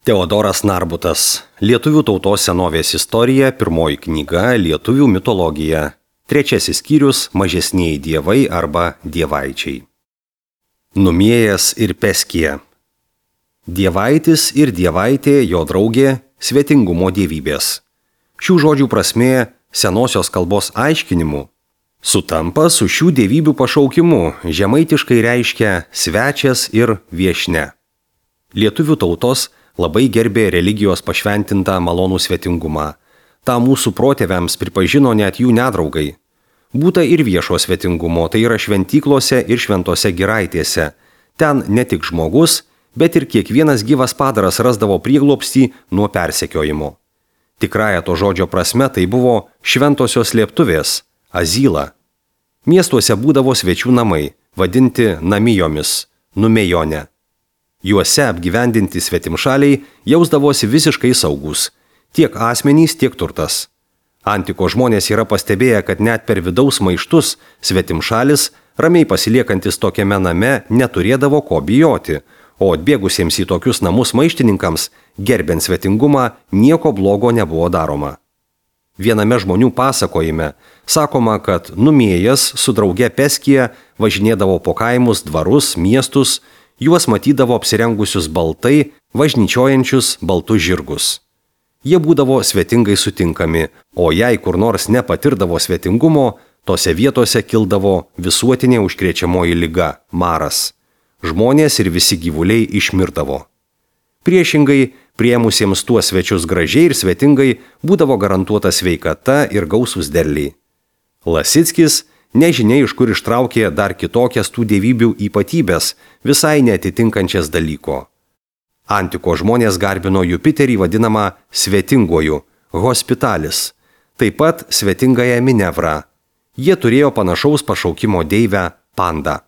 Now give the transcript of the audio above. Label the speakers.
Speaker 1: Teodoras Narbutas. Lietuvių tautos senovės istorija, pirmoji knyga Lietuvių mitologija. Trečiasis skyrius Mažesnieji dievai arba dievaičiai. Numėjas ir Peskija. Dievaitis ir dievaitė, jo draugė, svetingumo dievybės. Šių žodžių prasmė senosios kalbos aiškinimu sutampa su šių dievybių pašaukimu, žemaitiškai reiškia svečias ir viešne. Lietuvių tautos labai gerbė religijos pašventintą malonų svetingumą. Ta mūsų protėviams pripažino net jų nedraugai. Būta ir viešo svetingumo, tai yra šventyklose ir šventose giraitėse. Ten ne tik žmogus, bet ir kiekvienas gyvas padaras rasdavo prieglobstį nuo persekiojimo. Tikrąja to žodžio prasme tai buvo šventosios slėptuvės, azyla. Miestuose būdavo svečių namai, vadinti namijomis, numėjone. Juose apgyvendinti svetimšaliai jausdavosi visiškai saugus, tiek asmenys, tiek turtas. Antiko žmonės yra pastebėję, kad net per vidaus maištus svetimšalis, ramiai pasiliekantis tokiame name, neturėdavo ko bijoti, o atbėgusiems į tokius namus maištininkams, gerbiant svetingumą, nieko blogo nebuvo daroma. Viename žmonių pasakojime sakoma, kad numėjas su drauge Peskija važinėdavo po kaimus, dvarus, miestus, juos matydavo apsirengusius baltai, važnyčiojančius baltus žirgus. Jie būdavo svetingai sutinkami, o jei kur nors nepatirdavo svetingumo, tose vietose kildavo visuotinė užkrečiamoji liga – maras. Žmonės ir visi gyvuliai išmirdavo. Priešingai, priėmusiems tuos svečius gražiai ir svetingai būdavo garantuota sveikata ir gausūs derliai. Lasickis nežinia iš kur ištraukė dar kitokias tų dievybių ypatybės, visai neatitinkančias dalyko. Antiko žmonės garbino Jupiterį vadinamą svetinguoju, hospitalis, taip pat svetingąją Minevrą. Jie turėjo panašaus pašaukimo deivę Pandą.